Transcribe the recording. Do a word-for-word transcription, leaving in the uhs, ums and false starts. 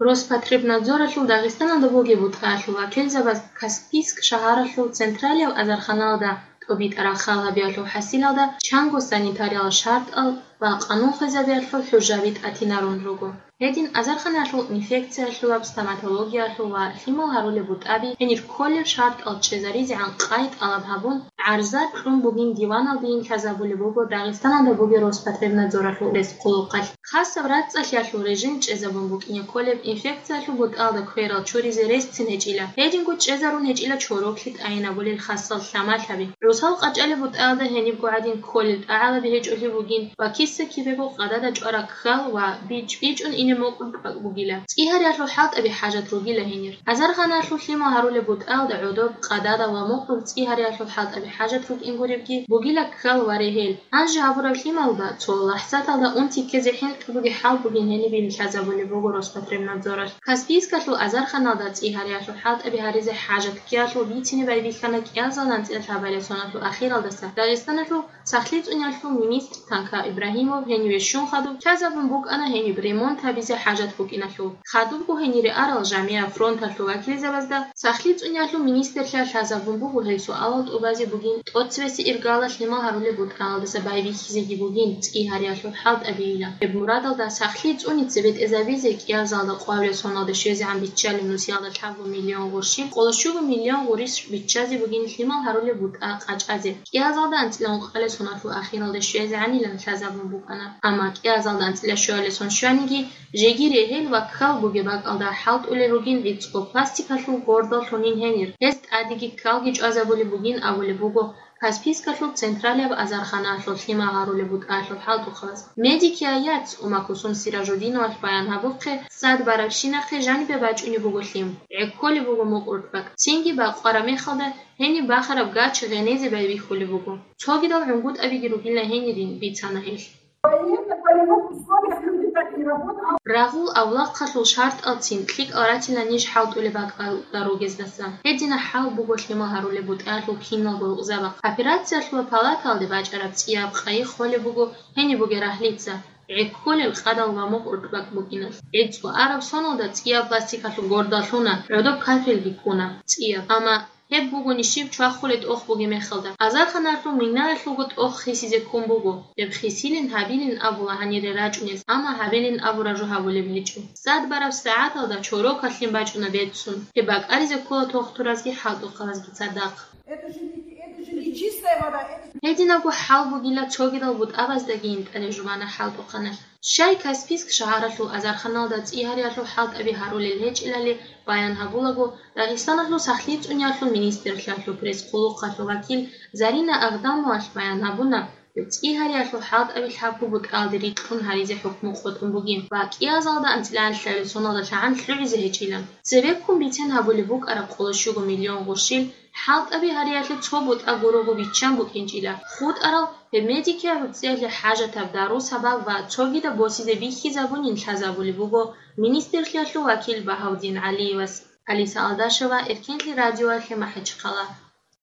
Роспотребнадзоралъул Дагъистаналда бугеб бутӀаялъул вакилзабаз Каспийск шагьаралъул централияб азарханалда тӀобитӀараб хал гьабиялъул хӀасилалда чанго санитариялъул шартӀал ва къанун хвезабиялъул хӀужаби тӀатинарун руго. Гьедин азарханалъул инфекциялъулаб, стоматологиялъул ва лъимал гьарулеб бутӀаби гьенир кколеб шартӀал чӀезаризегӀан къай тӀалаб гьабун, гӀарза кьун бугин диваналдейин лъазабулеб буго Дагъистаналда бугеб Роспотребнадзоралъул пресс-хъулухъалъ. Хасаб рацӀцӀалъиялъул режим чӀезабун букӀине кколеб инфекциялъул бутӀаялда кверал чуризе ресцин гьечӀила, гьединго чӀезарун гьечӀила чороклъи тӀайинабулел хасал лъамалъаби. ГӀусал къачӀалеб бутӀаялда гьенибго гӀадин кколел тӀагӀалаби гьечӀолъи бугин ва киса-кибего къадада чӀвараб ккал ва бичӀ-бичӀун ине мукъулъ тӀокӀ бугила. ЦӀигьариялъул хӀалтӀаби хӀажат ругила гьенир. Азарханалъул лъимал гьарулеб бутӀаялда гӀодоб, къадада ва мукъулъ цӀигьариялъул хӀалтӀаби хӀажат рукӀин гуребги бугила ккал ва регьел. Гьанже гьабураб лъималда цо лахӀзаталда унти ккезе хӀинкъи бугеб хӀал бугин гьенибин лъазабулеб буго Роспотребнадзоралъ. Каспийскалъул азарханалда цӀигьариялъул хӀалтӀаби гьаризе хӀажат ккеялъул бицине байбихьана кӀиазал анцӀила лъабалел соналъул ахиралдаса Дагъистаналъул сахлъи цӀуниялъул министр Танка Ибрагьимов гьениве щун хадуб лъазабун букӀана гьениб ремонт гьабизе хӀажат букӀиналъул. Хадубго гьенире арал жамигӀаб фронталъул вакилзабазда сахлъи цӀуниялъул министрлъа лъазабун буго гьел суалал тӀубазе бугин, тӀоцебесеб иргалалъ лъимал гьарулеб бутӀаялдаса байбихьизеги бугин, цӀигьариялъул хӀалтӀабийилан. Гьеб мурадалда сахлъи цӀуни цебетӀезабизе кӀиазалда къварилъ соналде щвезегӀан биччалеб нусиялда лъабго миллион гъурщил, къоло щуго миллион гъурищ биччазе бугин лъимал гьарулеб бутӀа къачӀазе. КӀиазалда анцӀила ункъалел соналъул ахиралде щвезегӀанилан лъазабун букӀана. Амма кӀиазалда анцӀила щуалел сон щваниги, жеги регьел ва ккал бугеб бакӀалда хӀалтӀулел ругин гӀицӀго пластикалъул гордал лъунин гьенир. Гьез тӀадеги ккалги чӀвазабулеб бугин абулеб буго Каспийскалъул централияб азарханалъул лъимал гьарулеб бутӀаялъул хӀалтӀухъабаз. Медикияец Умакусум Сиражудиновалъ баян гьабухъе, сад барабщинахъе жанибе бачӀунеб буго лъим, гӀекколеб буго мукъуртӀбакӀ, цинги бакъвараб мехалда гьениб бахараб гач гъенезе байбихьулеб буго. Цогидал гӀунгутӀабиги ругила гьенирин, бицана гьелъ. Военных, полевых условиях люди так не работают. Рагъул авлахъалъул шартӀалцин лъикӀал ратила ниж хӀалтӀулеб бакӀалда ругездаса. Гьединаб хӀал буго лъимал гьарулеб бутӀаялъул киналго гӀукъзабахъ. Операциялъул палаталде бачӀараб цӀияб къайи холеб буго гьениб бугеб рагьлица, гӀекколел къадал ва мукъуртӀбакӀ букӀиналъ. ГӀицӀго араб соналда цӀияб пластикалъул гордал лъуна, гӀодоб кафельги ккуна цӀияб. Амма гьеб бугони щиб чвахулеб тӀох бугеб мехалда. Азарханалъул минаялъулго тӀох хисизе ккун буго. Гьеб хисилин гьабилин абула гьанире рачӀунез, амма гьабилин абураб жо гьабулеб гьечӀо. Сад бараб сагӀаталда чорокалъин бачӀуна беццун. Гьеб бакӀаризе ккола тохтуразги хӀалтӀухъабазги цадахъ. Это же не, это же не чистая вода, это же... Гьединабго хӀал бугила цогидал бутӀабаздагийин тӀаде жубана хӀалтӀухъаналъ. Щай Каспийск шагьаралъул азарханалда цӀигьариялъул хӀалтӀаби гьарулел гьечӀелали баян гьабулаго, Дагъистаналъул сахлъи цӀуниялъул министрлъиялъул пресс-хъулухъалъул вакил Зарина Агдамовалъ баян гьабуна, цӀигьариялъул хӀалтӀаби лъабго бутӀаялде рикьун гьаризе хӀукму къотӀун бугин ва кӀиазалда анцӀила лъабил соналда лъагӀан лъугӀизе гьечӀила. Цебеккун бицен гьабулеб букӀараб къоло щуго миллион гъурщил хӀалтӀаби гьариялъе цо бутӀа гурого биччан букӀинчӀила. ХутӀарал гьеб медикиял гӀуцӀиялъе хӀажатаб дару-сабаб ва цогидаб босизе бихьизабунин лъазабулеб буго министрлъиялъул вакил Багьавдин ГӀалиевас. Алиса Алдашева, Эркенлъи радиоялъе, МахӀачхъала.